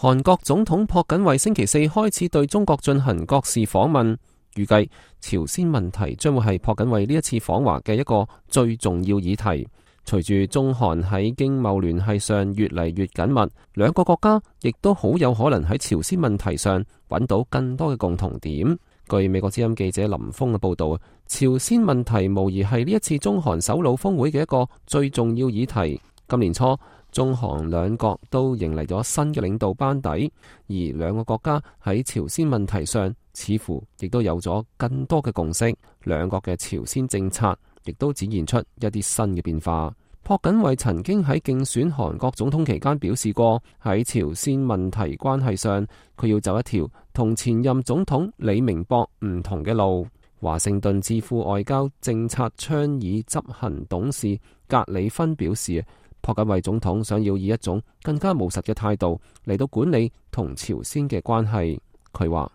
韓國總統朴槿惠星期四開始對中國進行國事訪問，預計朝鮮問題將會係朴槿惠呢一次訪華嘅一個最重要議題。隨住中韓喺經貿聯繫上越嚟越緊密，兩個國家亦都好有可能喺朝鮮問題上揾到更多嘅共同點。據美國之音記者林峰嘅報道，朝鮮問題無疑係呢一次中韓首腦峰會嘅一個最重要議題。今年初，中韓兩國都迎嚟咗新嘅領導班底，而兩個國家喺朝鮮問題上似乎亦都有咗更多嘅共識，兩國嘅朝鮮政策亦都展現出一啲新嘅變化。朴槿惠曾經喺競選韓國總統期間表示過，喺朝鮮問題關係上，佢要走一條同前任總統李明博唔同嘅路。華盛頓智庫外交政策倡議執行董事格里芬表示，朴槿惠總統想要以一種更加務實嘅態度嚟到管理同朝鮮嘅關係。佢話：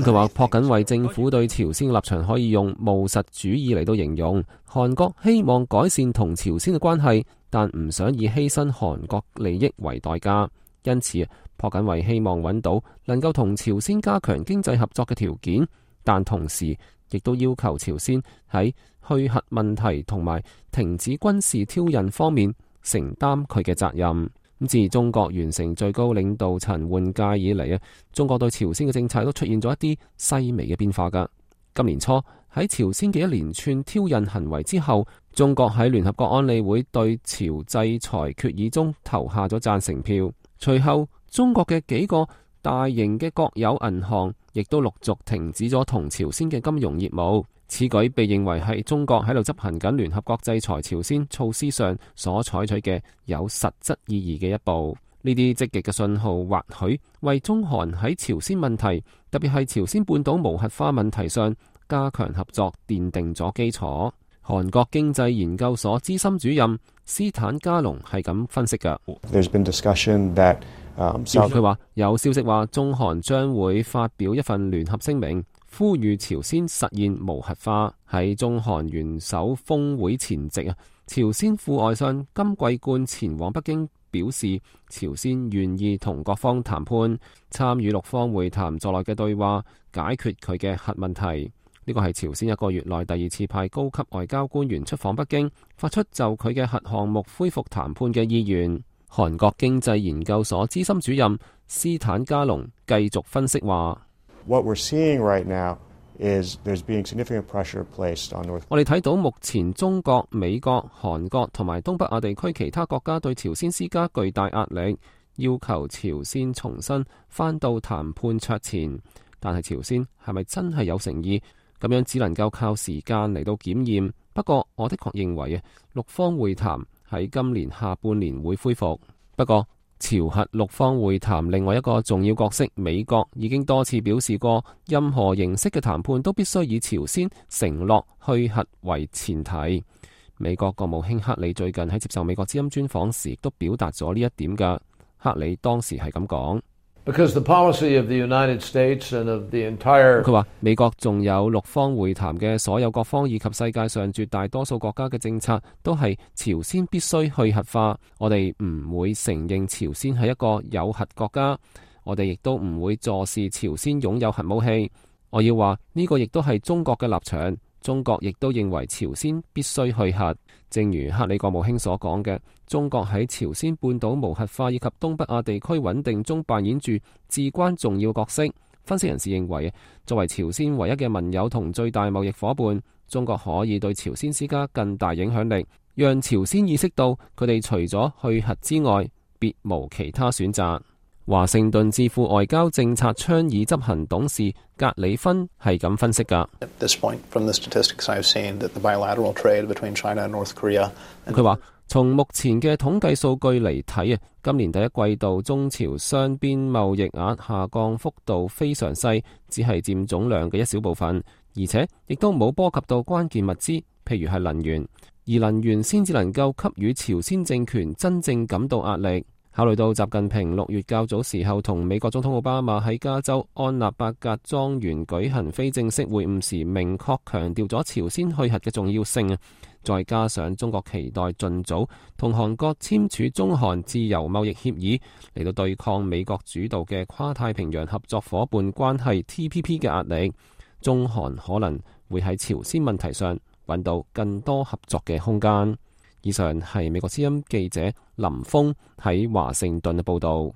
佢話朴槿惠政府對朝鮮嘅立場可以用務實主義嚟到形容。韓國希望改善同朝鮮嘅關係，但唔想以犧牲韓國利益為代價。因此，朴槿惠希望揾到能夠同朝鮮加強經濟合作嘅條件，但同時亦都要求朝鮮喺去核問題同埋停止軍事挑釁方面承擔佢嘅責任。自中國完成最高領導層換屆以嚟，中國對朝鮮嘅政策都出現咗一啲細微嘅變化㗎。今年初喺朝鮮嘅一連串挑釁行為之後，中國喺聯合國安理會對朝制裁決議中投下咗贊成票。隨後，中國嘅幾個大型嘅國有銀行亦都陸續停止咗同朝鮮嘅金融業務。此舉被認為係中國喺度執行緊聯合國制裁朝鮮措施上所採取嘅有實質意義嘅一步。呢啲積極嘅信號或許為中韓喺朝鮮問題，特別係朝鮮半島無核化問題上加強合作奠定咗基礎。韓國經濟研究所資深主任斯坦加龍係咁分析㗎。佢話有消息話中韓將會發表一份聯合聲明，呼籲朝鮮實現無核化。喺中韓元首峰會前夕，朝鮮副外相金桂冠前往北京，表示朝鮮願意同各方談判，參與六方會談在內嘅對話，解決佢嘅核問題。呢個係朝鮮一個月內第二次派高級外交官員出訪北京，發出就佢嘅核項目恢復談判嘅意願。韓國經濟研究所資深主任斯坦加龍繼續分析話：我哋睇到目前中國、美國、韓國同埋東北亞地區其他國家對朝鮮施加巨大壓力，要求朝鮮重新返到談判桌前。但係朝鮮係咪真係有誠意？咁樣只能夠靠時間嚟到檢驗。不過我的確認為六方會談喺今年下半年會恢復。不過朝核六方會談另外一個重要角色美國已經多次表示過，任何形式嘅談判都必須以朝鮮承諾去核為前提。美國國務卿克里最近喺接受美國之音專訪時亦都表達咗呢一點㗎。克里當時係咁講。佢話美國仲有六方會談嘅所有各方以及世界上絕大多數國家嘅政策都係朝鮮必須去核化。我哋唔會承認朝鮮係一個有核國家，我哋亦都唔會坐視朝鮮擁有核武器。我要話呢個亦都係中國嘅立場。中國亦都認為朝鮮必須去核。正如克里國務卿所講嘅，中國喺朝鮮半島無核化以及東北亞地區穩定中扮演住至關重要角色。分析人士認為，作為朝鮮唯一嘅盟友同最大貿易夥伴，中國可以對朝鮮施加更大影響力，讓朝鮮意識到佢哋除咗去核之外，別無其他選擇。華盛頓智庫外交政策倡議執行董事格里芬係咁分析㗎。佢話從目前嘅統計數據嚟睇，今年第一季度中朝雙邊貿易額下降幅度非常細，只係佔總量嘅一小部分，而且亦都冇波及到關鍵物資，譬如係能源，而能源先至能夠給予朝鮮政權真正感到壓力。考慮到習近平6月較早時候同美國總統奧巴馬喺加州安納伯格莊園舉行非正式會晤時，明確強調咗朝鮮去核嘅重要性。再加上中國期待盡早同韓國簽署中韓自由貿易協議，嚟到對抗美國主導嘅跨太平洋合作夥伴關係 TPP 嘅壓力，中韓可能會喺朝鮮問題上揾到更多合作嘅空間。以上係美國之音記者林峰喺華盛頓嘅報導。